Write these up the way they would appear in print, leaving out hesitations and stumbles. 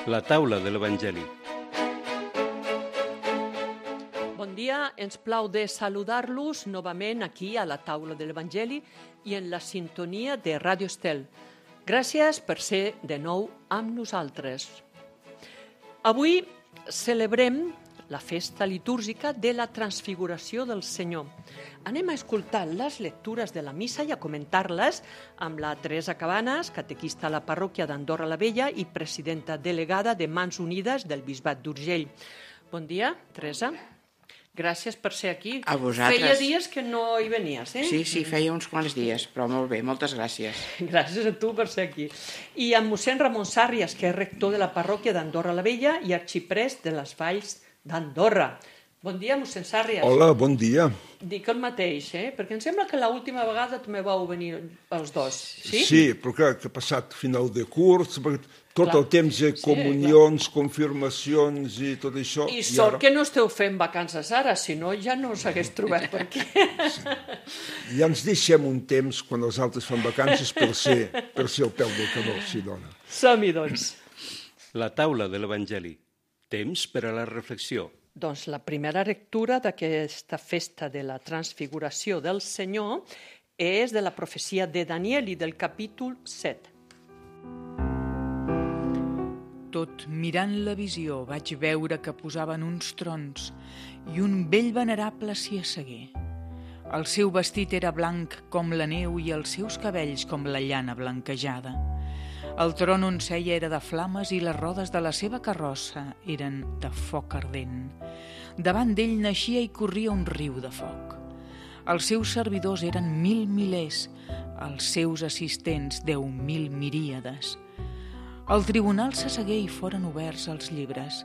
La taula de l'Evangeli. Bon dia, ens plau de saludar-los novament aquí a la taula de l'Evangeli i en la sintonia de Ràdio Estel. Gràcies per ser de nou amb nosaltres. Avui celebrem la festa litúrgica de la Transfiguració del Senyor. Anem a escoltar les lectures de la missa i a comentar-les amb la Teresa Cabanes, catequista a la parròquia d'Andorra la Vella i presidenta delegada de Mans Unides del Bisbat d'Urgell. Bon dia, Teresa. Gràcies per ser aquí. A vosaltres. Feia dies que no hi venies, eh? Sí, feia uns quants dies, però molt bé, moltes gràcies. Gràcies a tu per ser aquí. I amb mossèn Ramon Sàrrias, que és rector de la parròquia d'Andorra la Vella i arxiprest de les Valls d'Andorra. Bon dia, mossèn Sàrrias. Hola, bon dia. Dic el mateix, perquè em sembla que l'última vegada també vau venir els dos, sí? Sí, però clar, que ha passat final de curs, tot el temps de comunions, confirmacions i tot això. I sort que no esteu fent vacances ara, si no ja no us hagués trobat per aquí. Ja ens deixem un temps quan els altres fan vacances per ser el peu del canó, si dona. Som-hi, doncs. La taula de l'Evangeli. Temps per a la reflexió. Doncs la primera lectura d'aquesta festa de la Transfiguració del Senyor és de la profecia de Daniel i del capítol 7. Tot mirant la visió vaig veure que posaven uns trons i un vell venerable s'hi assegué. El seu vestit era blanc com la neu i els seus cabells com la llana blanquejada. El tron on seia era de flames i les rodes de la seva carrossa eren de foc ardent. Davant d'ell naixia i corria un riu de foc. Els seus servidors eren 1000 milers, els seus assistents 10.000 miríades. Al tribunal s'assegué i foren oberts els llibres.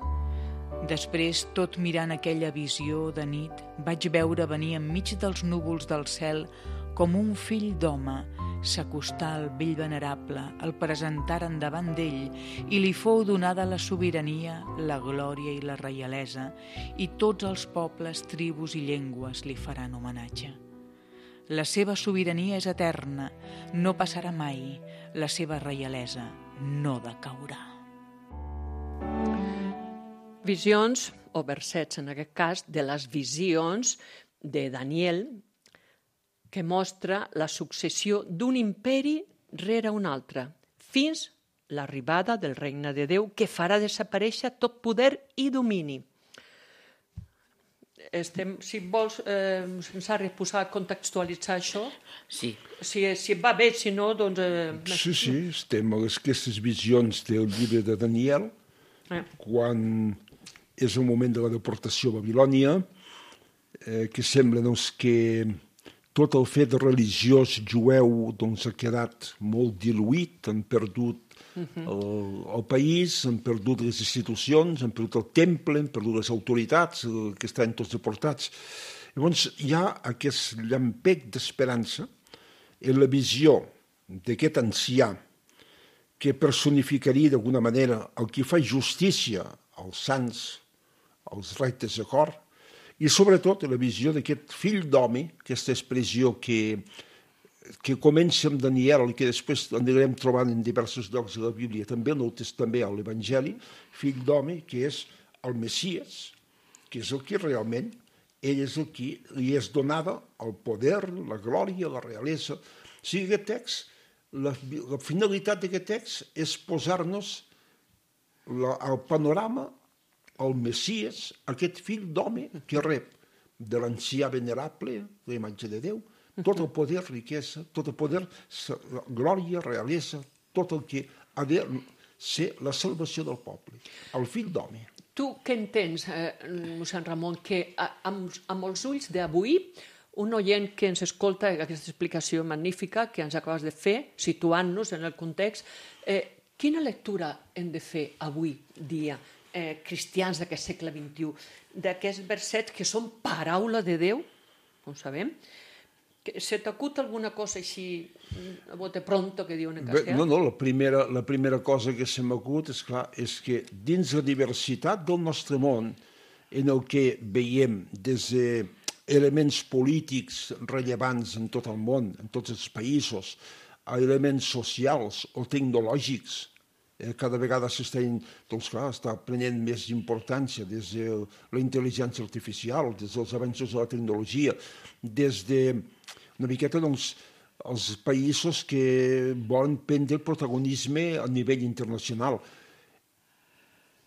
Després, tot mirant aquella visió de nit, vaig veure venir enmig dels núvols del cel com un fill d'home, s'acostà al vell venerable, el presentaren davant d'ell i li fou donada la sobirania, la glòria i la reialesa, i tots els pobles, tribus i llengües li faran homenatge. La seva sobirania és eterna, no passarà mai, la seva reialesa no decaurà. Visions, o versets en aquest cas, de les visions de Daniel, que mostra la successió d'un imperi rere un altre, fins l'arribada del regne de Déu, que farà desaparèixer tot poder i domini. Si vols, Sàrria, contextualitzar això? Sí. Si va bé, si no, doncs... Sí, estem a aquestes visions del llibre de Daniel, quan és el moment de la deportació a Babilònia, que sembla que tot el fet religiós jueu ha quedat molt diluït, han perdut el país, han perdut les institucions, han perdut el temple, han perdut les autoritats, que estan tots deportats. Llavors hi ha aquest llampec d'esperança en la visió d'aquest ancià que personificaria d'alguna manera el que fa justícia als sants, als rectes de cor, i sobretot la visió d'aquest fill d'home, aquesta expressió que comença amb Daniel i que després anirem trobant en diversos llocs de la Bíblia, també a l'Evangeli, fill d'home, que és el Messies, que és el que realment ell és el que li és donada el poder, la glòria, la realesa. O sigui, aquest text, la finalitat d'aquest text és posar-nos al panorama el Messies, aquest fill d'home que rep de l'ancià venerable, la imatge de Déu, tot el poder, riquesa, tot el poder, glòria, realesa, tot el que ha de ser la salvació del poble, el fill d'home. Tu què entens, mossèn Ramon, que amb els ulls d'avui, un oient que ens escolta aquesta explicació magnífica que ens acabes de fer, situant-nos en el context, quina lectura hem de fer avui dia, cristians d'aquest segle XXI, d'aquests versets que són paraula de Déu, com sabem? Se t'acut alguna cosa així, a bote pronto, que diuen en castellà? No, la primera cosa que se m'acut, és que dins la diversitat del nostre món, en el que veiem des d'elements polítics rellevants en tot el món, en tots els països, a elements socials o tecnològics cada vegada està prenent més importància des de la intel·ligència artificial, des dels avenços de la tecnologia, des de una miqueta els països que volen prendre el protagonisme a nivell internacional.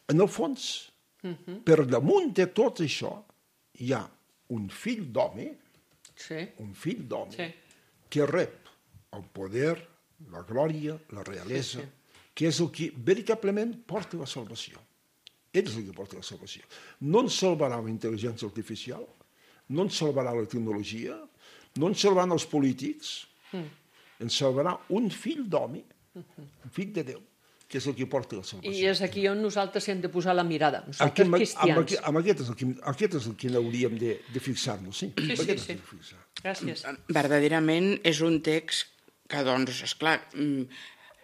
En el fons, per damunt de tot això, hi ha un fill d'home, que rep el poder, la glòria, la realesa, que és el que veritablement porta la salvació. Ell és el que porta la salvació. No ens salvarà la intel·ligència artificial, no ens salvarà la tecnologia, no ens salvaran els polítics, ens salvarà un fill d'home, un fill de Déu, que és el que porta la salvació. I és aquí on nosaltres hem de posar la mirada, nosaltres cristians. Aquest és el que hauríem de fixar-nos, sí. Sí. Gràcies. Verdaderament és un text que, doncs, esclar,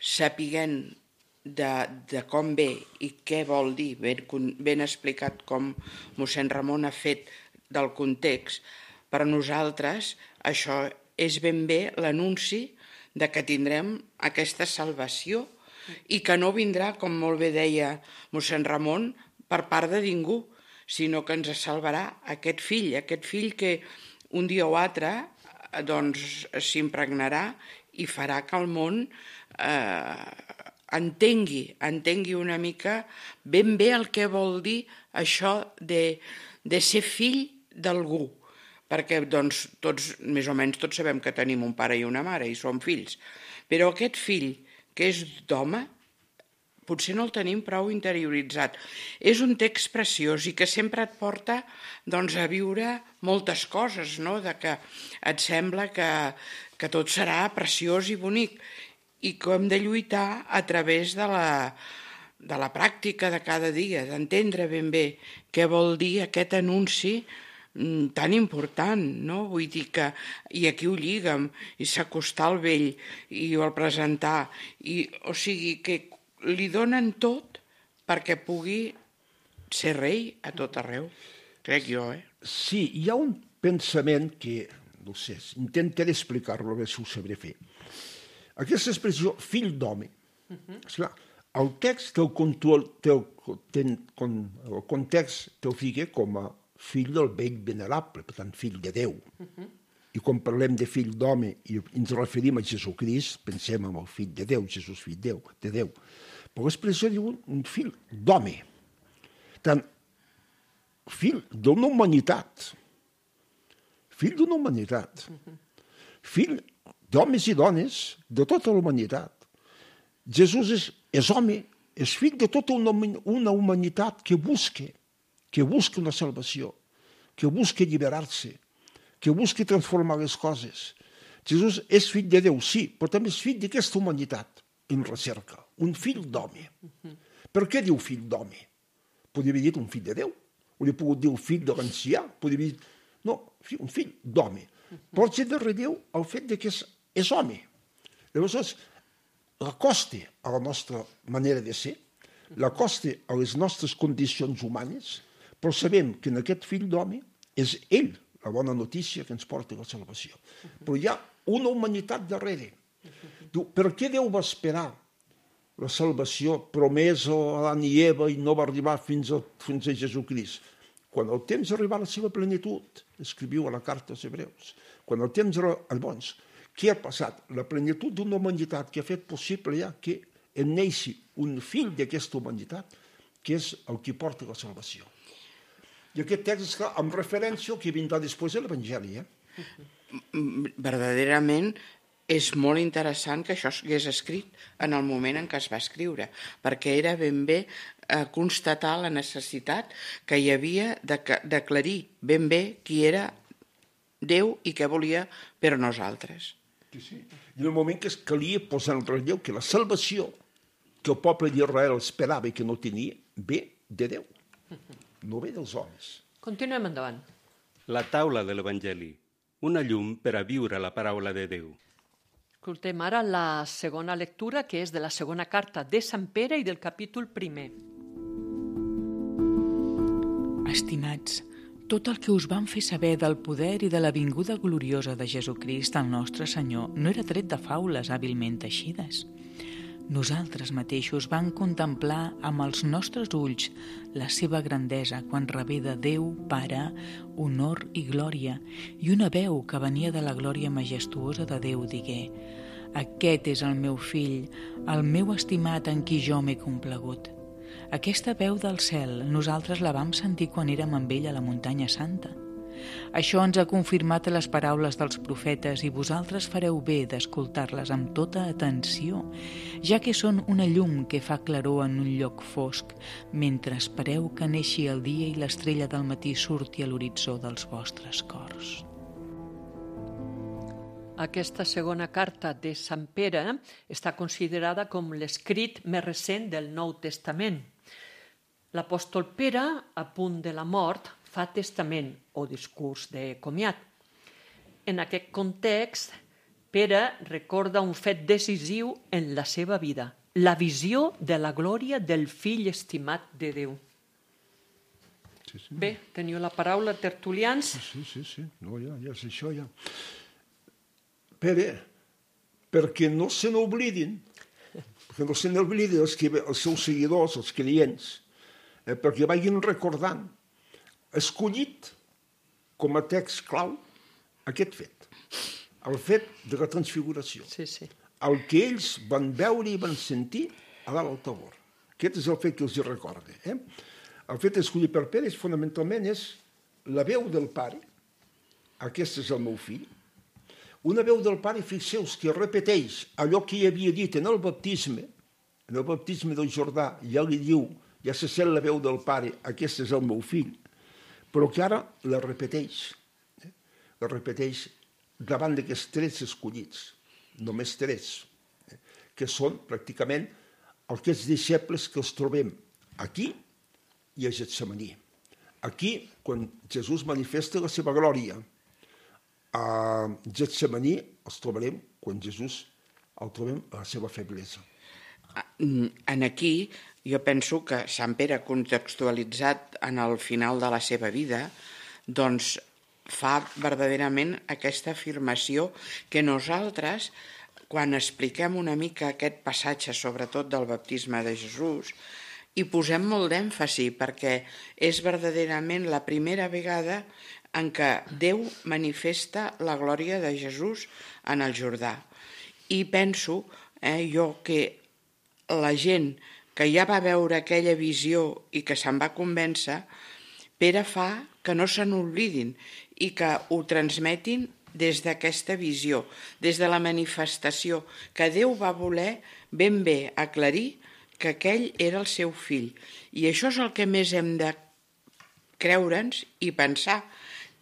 sapiguent de com ve i què vol dir, ben explicat com mossèn Ramon ha fet del context, per a nosaltres això és ben bé l'anunci de que tindrem aquesta salvació i que no vindrà, com molt bé deia mossèn Ramon, per part de ningú, sinó que ens salvarà aquest fill que un dia o altre doncs s'impregnarà i farà que el món entengui una mica ben bé el que vol dir això de ser fill d'algú, perquè doncs tots, més o menys tots sabem que tenim un pare i una mare i som fills, però aquest fill que és d'home potser no el tenim prou interioritzat. És un text preciós i que sempre et porta doncs, a viure moltes coses, no? De que et sembla que tot serà preciós i bonic i que hem de lluitar a través de la pràctica de cada dia, d'entendre ben bé què vol dir aquest anunci tan important, no? Vull dir que, i aquí ho lliga'm, i s'acostar al vell, i el presentar, o sigui que li donen tot perquè pugui ser rei a tot arreu, crec jo, Sí, hi ha un pensament que, no sé, intentaré explicar-lo, a veure si ho sabré fer. Aquesta expressió, fill d'home, esclar, el text el context te'l fica com a fill del vell venerable, per tant, fill de Déu. I quan parlem de fill d'home i ens referim a Jesucrist, pensem en el fill de Déu, Jesús fill de Déu. Però l'expressió diu un fill d'home. Tant, fill d'una humanitat. Fill d'una humanitat. Fill d'homes i dones de tota la humanitat. Jesús és home, és fill de tota una humanitat que busca una salvació, que busca alliberar-se, que busca transformar les coses. Jesús és fill de Déu, sí, però també és fill d'aquesta humanitat en recerca, un fill d'home. Per què diu fill d'home? Podria haver dit un fill de Déu, hauria pogut dir un fill de l'ancià, podria haver dit... No, un fill d'home. Porta de relleu el fet que és home. Llavors, l'acosta a la nostra manera de ser, l'acosta a les nostres condicions humanes, però sabem que en aquest fill d'home és ell la bona notícia que ens porta la salvació. Però hi ha una humanitat darrere. Diu, per què Déu va esperar la salvació promesa a Adán i Eva i no va arribar fins a Jesucrist? Quan el temps arriba a la seva plenitud, escriviu a la carta als Hebreus, quan el temps arriba, doncs, què ha passat? La plenitud d'una humanitat que ha fet possible ja que en neixi un fill d'aquesta humanitat, que és el que porta la salvació. I aquest text és clar, amb referència al que vindrà després de l'Evangeli. Verdaderament és molt interessant que això hagués escrit en el moment en què es va escriure, perquè era ben bé constatar la necessitat que hi havia d'aclarir ben bé qui era Déu i què volia per a nosaltres. Sí. I en el moment que es calia posar en relleu que la salvació que el poble d'Israel esperava i que no tenia, ve de Déu, no ve dels homes. Continuem endavant. La taula de l'Evangeli, una llum per a viure la paraula de Déu. Escoltem ara la segona lectura, que és de la segona carta de Sant Pere i del capítol 1. Estimats, tot el que us van fer saber del poder i de la vinguda gloriosa de Jesucrist, el nostre Senyor, no era tret de faules hàbilment teixides. Nosaltres mateixos vam contemplar amb els nostres ulls la seva grandesa quan rebé de Déu Pare honor i glòria, i una veu que venia de la glòria majestuosa de Déu digué: «Aquest és el meu fill, el meu estimat en qui jo m'he complagut». Aquesta veu del cel nosaltres la vam sentir quan érem amb ell a la muntanya santa. Això ens ha confirmat les paraules dels profetes i vosaltres fareu bé d'escoltar-les amb tota atenció, ja que són una llum que fa claror en un lloc fosc, mentre espereu que neixi el dia i l'estrella del matí surti a l'horitzó dels vostres cors. Aquesta segona carta de Sant Pere està considerada com l'escrit més recent del Nou Testament. L'apòstol Pere, a punt de la mort, fa testament o discurs de comiat. En aquest context, Pere recorda un fet decisiu en la seva vida, la visió de la glòria del fill estimat de Déu. Sí. Bé, teniu la paraula, tertulians. Sí. No, ja és això, ja. Pere, perquè no se n'oblidin, els seus seguidors, els clients, perquè vagin recordant, escollit com a text clau aquest fet, el fet de la transfiguració, Sí. el que ells van veure i van sentir a dalt al Tabor. Aquest és el fet que els recorda. El fet escollit per Pere fonamentalment és la veu del Pare, aquest és el meu fill, una veu del Pare, fixeu-vos, que repeteix allò que hi havia dit en el baptisme del Jordà, ja li diu, ja se sent la veu del Pare, aquest és el meu fill, però que ara la repeteix davant d'aquests 3 escollits, només 3, que són pràcticament aquests deixebles que els trobem aquí i a Getsemaní. Aquí, quan Jesús manifesta la seva glòria, a Getsemaní els trobarem quan Jesús el trobem a la seva feblesa. En aquí, jo penso que Sant Pere, contextualitzat en el final de la seva vida, doncs fa verdaderament aquesta afirmació que nosaltres, quan expliquem una mica aquest passatge, sobretot del baptisme de Jesús, hi posem molt d'èmfasi, perquè és verdaderament la primera vegada en què Déu manifesta la glòria de Jesús en el Jordà. I penso, jo, que la gent que ja va veure aquella visió i que se'n va convèncer, Pere fa que no se n'oblidin i que ho transmetin des d'aquesta visió, des de la manifestació, que Déu va voler ben bé aclarir que aquell era el seu fill. I això és el que més hem de creure'ns i pensar,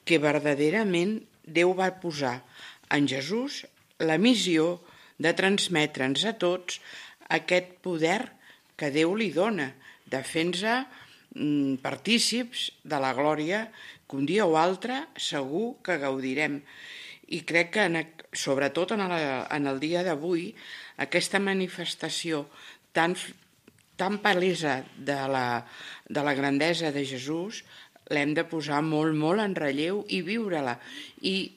que verdaderament Déu va posar en Jesús la missió de transmetre'ns a tots aquest poder que Déu li dona, de fer-nos partícips de la glòria que un dia o altre segur que gaudirem. I crec que, sobretot en el dia d'avui, aquesta manifestació tan palesa de la grandesa de Jesús l'hem de posar molt, molt en relleu i viure-la. I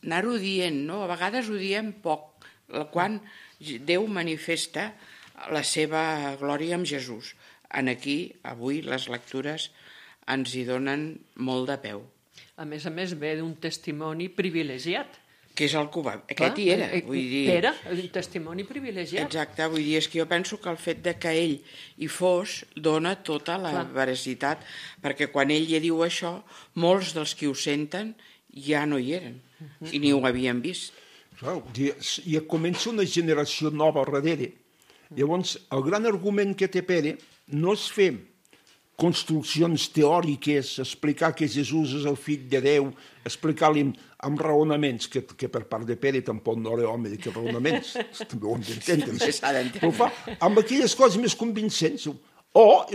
anar-ho dient, no? A vegades ho diem poc, quan Déu manifesta la seva glòria amb Jesús. Aquí, avui, les lectures ens hi donen molt de peu. A més, ve d'un testimoni privilegiat. Que és el que va... Aquest hi era, vull dir... Era un testimoni privilegiat. Exacte, vull dir, és que jo penso que el fet de que ell hi fos dona tota la veracitat, perquè quan ell ja diu això, molts dels que ho senten ja no hi eren, i ni ho havien vist. Clar, ja comença una generació nova darrere. Llavors, el gran argument que té Pere no és fer construccions teòriques, explicar que Jesús és el fill de Déu, explicar-li amb raonaments, que per part de Pere tampoc no era home d'aquests raonaments, també ho hem d'entendre. Però fa amb aquelles coses més convincents.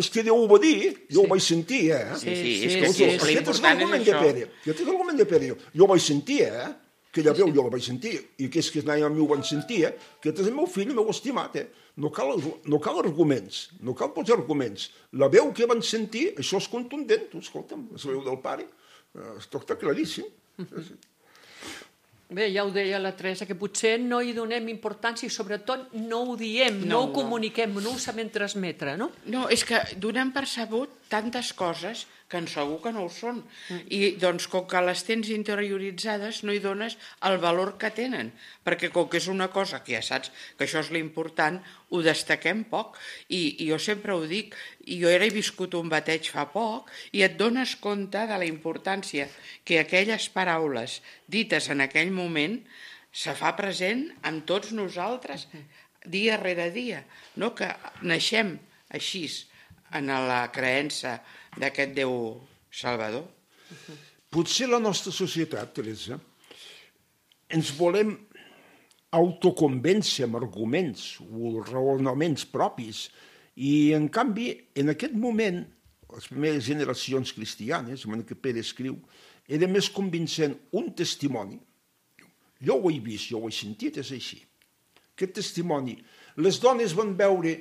És que Déu ho va dir, jo ho vaig sentir, Aquest és l'argument de Pere. Jo ho vaig sentir, aquella veu jo la vaig sentir, i aquells que anaven amb mi ho van sentir, aquest és el meu fill, el meu estimat, No cal arguments, no cal posar arguments. La veu que van sentir, això és contundent, escolta'm, és la veu del Pare, està claríssim. Bé, ja ho deia la Teresa, que potser no hi donem importància i sobretot no ho diem, no ho comuniquem, no ho sabem transmetre, no? No, és que donem per sabut tantes coses que segur que no ho són. I doncs, com que les tens interioritzades, no hi dones el valor que tenen, perquè com que és una cosa que ja saps que això és l'important, ho destaquem poc. I jo sempre ho dic, jo he viscut un bateig fa poc i et dones compte de la importància que aquelles paraules dites en aquell moment se fa present amb tots nosaltres dia rere dia, no? Que naixem així en la creença d'aquest Déu Salvador. Potser la nostra societat, Teresa, ens volem autoconvèncer amb arguments o raonaments propis i, en canvi, en aquest moment, les primeres generacions cristianes, en què Pere escriu, era més convincent un testimoni. Jo ho he vist, jo ho he sentit, és així. Aquest testimoni. Les dones van veure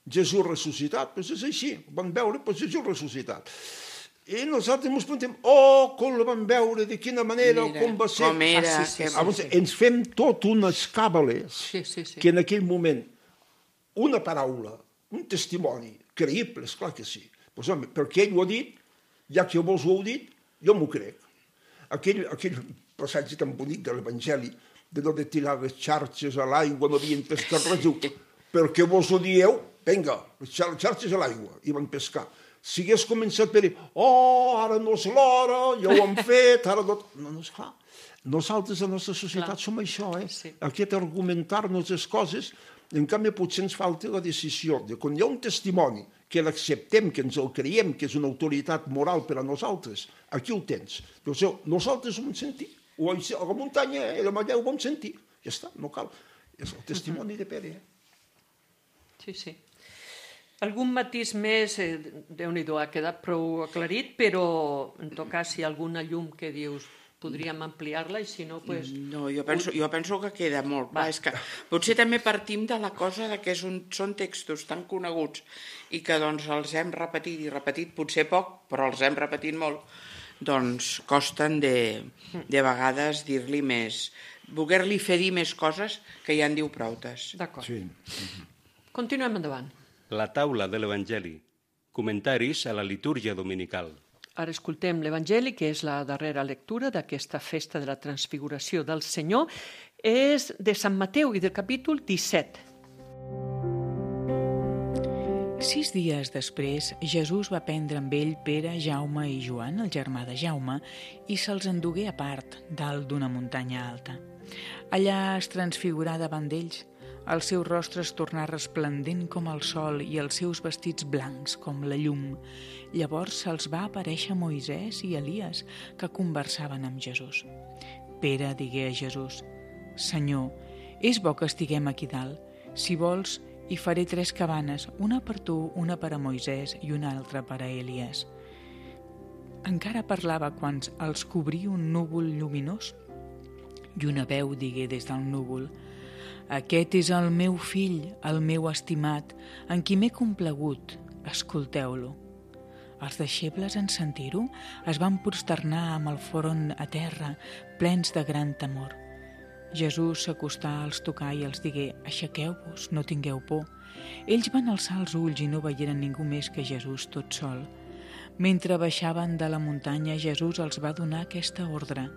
Jesús ressuscitat, doncs és així, van veure Jesús ressuscitat. I nosaltres ens preguntem, com la van veure, de quina manera, com va ser. Com era. Ens fem tot unes càbales que en aquell moment una paraula, un testimoni creïble, esclar que sí. Doncs, home, perquè ell ho ha dit, ja que vos ho heu dit, jo m'ho crec. Aquell passatge tan bonic de l'Evangeli, de no de tirar les xarxes a l'aigua, no havien pescat res, diu, perquè vos ho dieu, vinga, les xarxes a l'aigua, i van pescar. Si hagués començat per dir, ara no és l'hora, ja ho hem fet, ara no... No, esclar, nosaltres, a la nostra societat, som això, aquest argumentar-nos les coses, en canvi potser ens falta la decisió de quan hi ha un testimoni que l'acceptem, que ens el creiem, que és una autoritat moral per a nosaltres, aquí ho tens. Nosaltres ho vam sentir, o a la muntanya, a la Malleu ho vam sentir, ja està, no cal. És el testimoni de Pere. Sí. Algun matís més, Déu-n'hi-do, ha quedat prou aclarit, però en tot cas, si hi ha alguna llum que dius podríem ampliar-la i si no, doncs... No, jo penso que queda molt clar. És que potser també partim de la cosa que són textos tan coneguts i que doncs els hem repetit i repetit, potser poc, però els hem repetit molt, doncs costen de vegades dir-li més, voler-li fer dir més coses que ja en diu proutes. D'acord. Sí. Continuem endavant. La taula de l'Evangeli. Comentaris a la litúrgia dominical. Ara escoltem l'Evangeli, que és la darrera lectura d'aquesta festa de la transfiguració del Senyor. És de Sant Mateu i del capítol 17. 6 dies després, Jesús va prendre amb ell Pere, Jaume i Joan, el germà de Jaume, i se'ls endugué a part, dalt d'una muntanya alta. Allà es transfigurà davant d'ells. El seu rostre es tornà resplendent com el sol i els seus vestits blancs com la llum. Llavors se'ls va aparèixer Moisès i Elies, que conversaven amb Jesús. Pere digué a Jesús: «Senyor, és bo que estiguem aquí dalt. Si vols, hi faré 3 cabanes, una per tu, una per a Moisès i una altra per a Elies». Encara parlava quan els cobrí un núvol lluminós i una veu digué des del núvol: «Aquest és el meu fill, el meu estimat, en qui m'he complagut. Escolteu-lo». Els deixebles, en sentir-ho, es van prosternar amb el front a terra, plens de gran temor. Jesús s'acostà, els tocà i els digué: «Aixequeu-vos, no tingueu por». Ells van alçar els ulls i no veieren ningú més que Jesús tot sol. Mentre baixaven de la muntanya, Jesús els va donar aquesta ordre: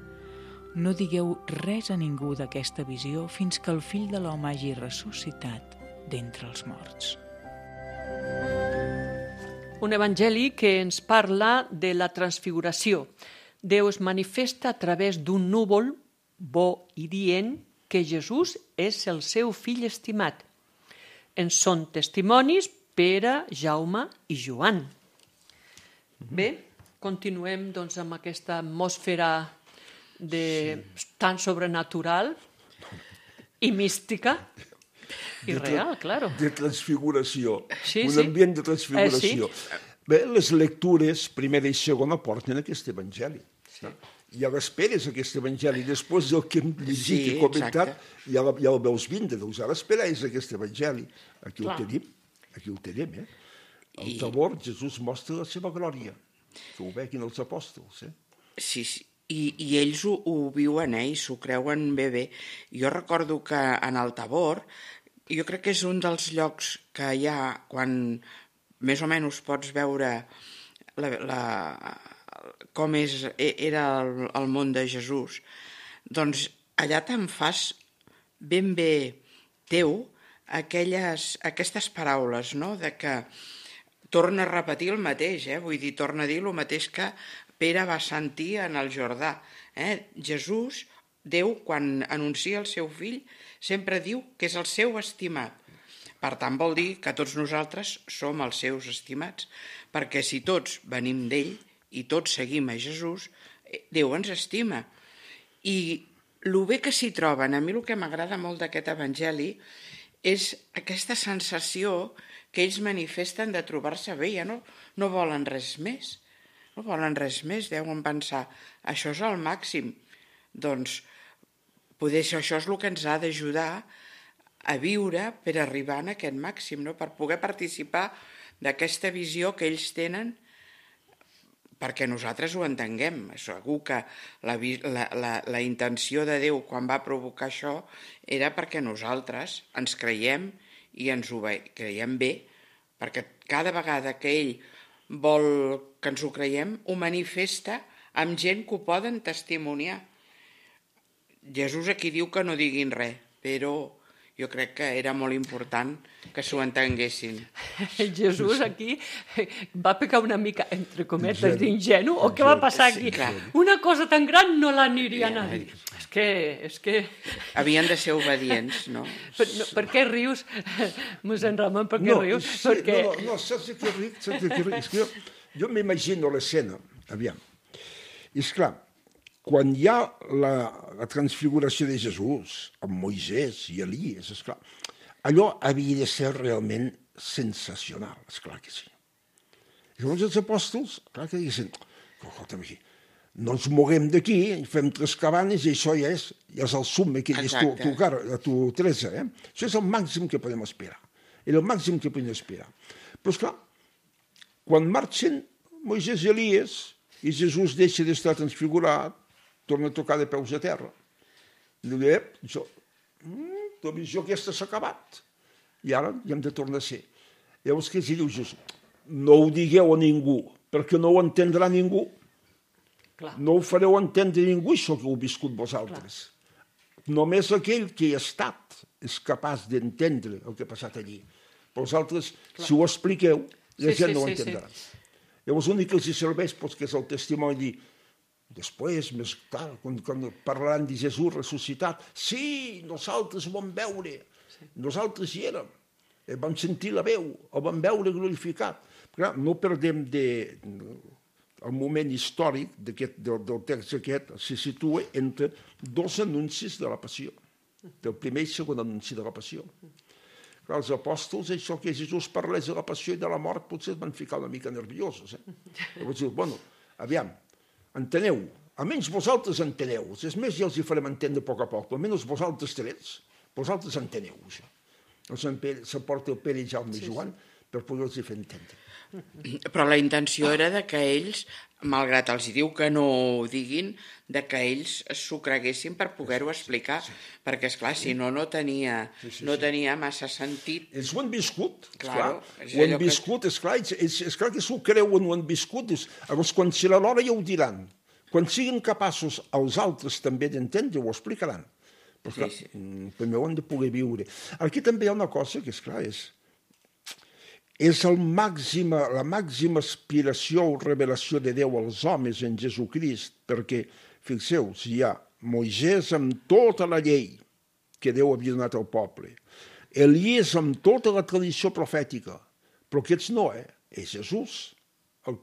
«No digueu res a ningú d'aquesta visió fins que el Fill de l'Home hagi ressuscitat d'entre els morts». Un evangeli que ens parla de la transfiguració. Déu es manifesta a través d'un núvol bo i dient que Jesús és el seu fill estimat. En són testimonis Pere, Jaume i Joan. Bé, continuem doncs, amb aquesta atmosfera tan sobrenatural i mística i real, claro. De transfiguració, Sí. ambient de transfiguració. Bé, les lectures, primera i segona, porten aquest evangeli. Sí. Ja l'esperes, aquest evangeli. Després del que hem llegit i comentat, ja el veus vindre. Doncs ara esperes aquest evangeli. Aquí ho tenim, El tabor, Jesús mostra la seva glòria, que ho veguin els apòstols. Sí, i ells ho viuen, i s'ho creuen bé. Jo recordo que en el Tabor, jo crec que és un dels llocs que hi ha quan més o menys pots veure com era el món de Jesús, doncs allà te'n fas ben bé teu aquestes paraules, no? De que torna a repetir el mateix, vull dir, torna a dir el mateix que Pere va sentir en el Jordà. Jesús, Déu, quan anuncia el seu fill, sempre diu que és el seu estimat. Per tant, vol dir que tots nosaltres som els seus estimats, perquè si tots venim d'ell i tots seguim a Jesús, Déu ens estima. I el bé que s'hi troben, a mi el que m'agrada molt d'aquest evangeli és aquesta sensació que ells manifesten de trobar-se bé, ja no volen res més. No volen res més, deuen pensar, això és el màxim. Doncs poder això és el que ens ha d'ajudar a viure per arribar a aquest màxim, no? Per poder participar d'aquesta visió que ells tenen perquè nosaltres ho entenguem. Segur que la intenció de Déu quan va provocar això era perquè nosaltres ens creiem i ens ho creiem bé, perquè cada vegada que ell vol que ens ho creiem, ho manifesta amb gent que ho poden testimoniar. Jesús aquí diu que no diguin res, però jo crec que era molt important que s'ho entenguessin. Jesús aquí va pecar una mica, entre cometes, d'ingenu, o què va passar aquí? Una cosa tan gran no l'anirien a dir. És que... Havien de ser obedients, no? Per què rius, mossèn Ramon, per què rius? No, saps què ric? És que jo m'imagino l'escena, aviam. I esclar, quan hi ha la transfiguració de Jesús amb Moisès i Elies, esclar, allò havia de ser realment sensacional, esclar que sí. I llavors els apòstols, clar que diguessin, escolta'm aquí, no ens moguem d'aquí, fem 3 cabanes i això ja és el summe que dius tu, Teresa. Això és el màxim que podem esperar. Era el màxim que podem esperar. Però, esclar, quan marxen Moisès i Elies i Jesús deixa d'estar transfigurat, torna a tocar de peus a terra. Diu, la visió aquesta s'ha acabat. I ara hi hem de tornar a ser. Llavors què diu Jesús? No ho digueu a ningú, perquè no ho entendrà ningú. No ho fareu entendre a ningú, això que heu viscut vosaltres. Només aquell que hi ha estat és capaç d'entendre el que ha passat allí. Però vosaltres, si ho expliqueu, la gent no ho entendrà. Llavors l'únic que els serveix que és el testimoni després, més tard, quan parlaran de Jesús ressuscitat, sí, nosaltres ho vam veure, nosaltres hi érem, vam sentir la veu, el vam veure glorificat. Clar, no perdem el moment històric del text aquest se situa entre 2 anuncis de la passió, del primer i segon anunci de la passió. Clar, els apòstols, això que Jesús parlés de la passió i de la mort, potser es van ficar una mica nerviosos. Llavors diu, bueno, aviam, enteneu, almenys vosaltres enteneu, és més, ja els hi farem entendre a poc, almenys vosaltres 3, vosaltres enteneu això. S'aporta el Pere i Jaume i Joan per poder-los fer entendre. Però la intenció era que ells, malgrat els diu que no ho diguin, que ells s'ho creguessin per poder-ho explicar, perquè, esclar, si no tenia massa sentit. Ells ho han viscut, esclar. Ho han viscut, esclar, esclar que s'ho creuen, ho han viscut. Llavors, quan serà l'hora ja ho diran. Quan siguin capaços els altres també d'entendre, ho explicaran. Però, esclar, primer ho han de poder viure. Aquí també hi ha una cosa que, esclar, és la màxima aspiració o revelació de Déu als homes en Jesucrist, perquè, fixeu-vos, hi ha Moisès amb tota la llei que Déu havia donat al poble, Elies amb tota la tradició profètica, però aquests no, és Jesús el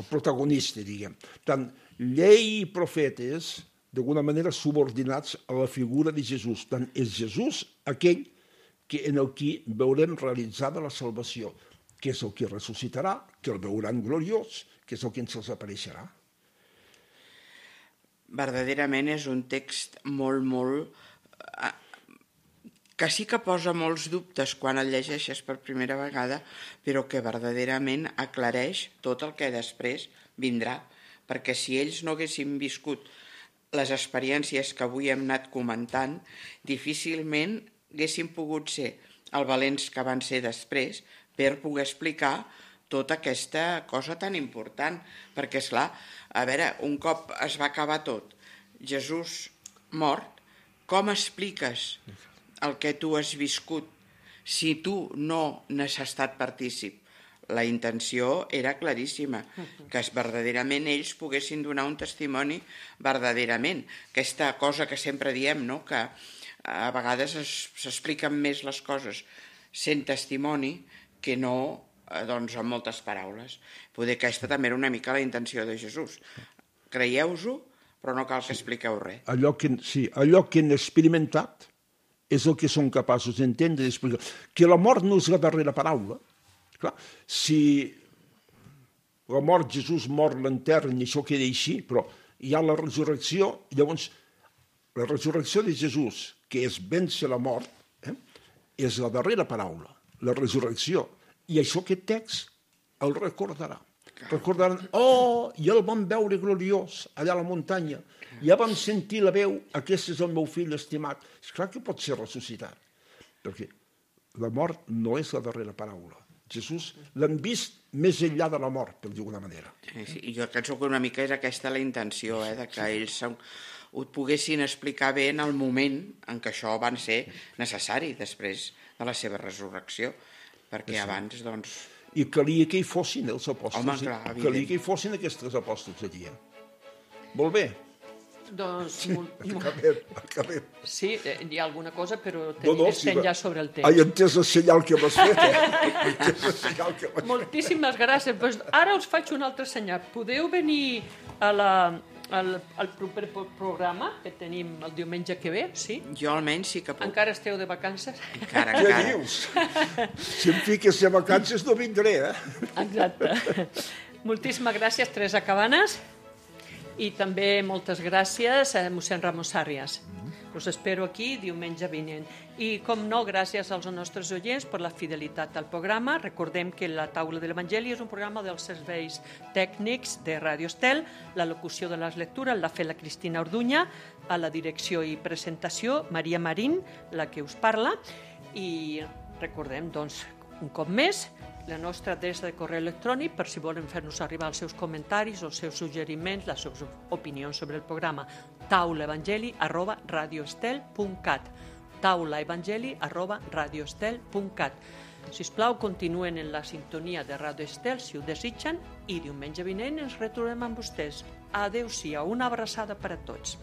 protagonista, diguem. Tant llei i profetes, d'alguna manera subordinats a la figura de Jesús. Tant és Jesús aquell en el qui veurem realitzada la salvació, que és el que ressuscitarà, que el veuran gloriós, que és el que ens els apareixerà. Verdaderament és un text molt, que sí que posa molts dubtes quan el llegeixes per primera vegada, però que verdaderament aclareix tot el que després vindrà, perquè si ells no haguessin viscut les experiències que avui hem anat comentant, difícilment haguessin pogut ser els valents que van ser després per poder explicar tota aquesta cosa tan important. Perquè, esclar, a veure, un cop es va acabar tot, Jesús mort, com expliques el que tu has viscut si tu no n'has estat partícip? La intenció era claríssima, que verdaderament ells poguessin donar un testimoni verdaderament. Aquesta cosa que sempre diem, no? Que a vegades s'expliquen més les coses sent testimoni que no doncs, amb moltes paraules. Poder que aquesta també era una mica la intenció de Jesús. Creieu-ho, però no cal que expliqueu res. Allò que han experimentat és el que són capaços d'entendre i d'explicar. Que la mort no és la darrera paraula. Clar, si la mort, Jesús mor, l'enterren i això queda així, però hi ha la resurrecció, llavors la resurrecció de Jesús, que és vèncer la mort, és la darrera paraula, la resurrecció. I això aquest text el recordarà. Recordaran, i el vam veure gloriós allà a la muntanya, ja vam sentir la veu, aquest és el meu fill estimat. És clar que pot ser ressuscitat, perquè la mort no és la darrera paraula. Jesús l'han vist més enllà de la mort, per dir-ho d'una manera. Sí, jo penso que una mica és aquesta la intenció, de que ells ho poguessin explicar bé en el moment en què això va ser necessari després de la seva resurrecció, perquè abans, doncs... I calia que hi fossin els apòstols. Home, clar, evident. Calia que hi fossin aquests apòstols allí. Molt bé. Doncs... Acabem. Sí, hi ha alguna cosa, però estem ja sobre el temps. He entès el senyal que m'has fet, Moltíssimes gràcies. Pues ara us faig un altre senyal. Podeu venir al proper programa que tenim el diumenge que ve, sí? Jo almenys sí que puc. Encara esteu de vacances? Encara. Què dius? Si em fiques a vacances no vindré, Exacte. Moltíssimes gràcies, Teresa Cabanes. I també moltes gràcies a mossèn Ramon Sàrrias. Us espero aquí diumenge vinent. I, com no, gràcies als nostres oients per la fidelitat al programa. Recordem que La Taula de l'Evangeli és un programa dels serveis tècnics de Ràdio Estel. La locució de les lectures l'ha fet la Cristina Orduña, a la direcció i presentació Maria Marín, la que us parla. I recordem, doncs, un cop més, la nostra adreça de correu electrònic per si volen fer-nos arribar els seus comentaris, els seus suggeriments, les seves opinions sobre el programa, taulaevangeli@radioestel.cat, taulaevangeli@radioestel.cat. Sisplau, continuen en la sintonia de Ràdio Estel si ho desitgen i diumenge vinent ens retrobem amb vostès. Adéu-siau, una abraçada per a tots.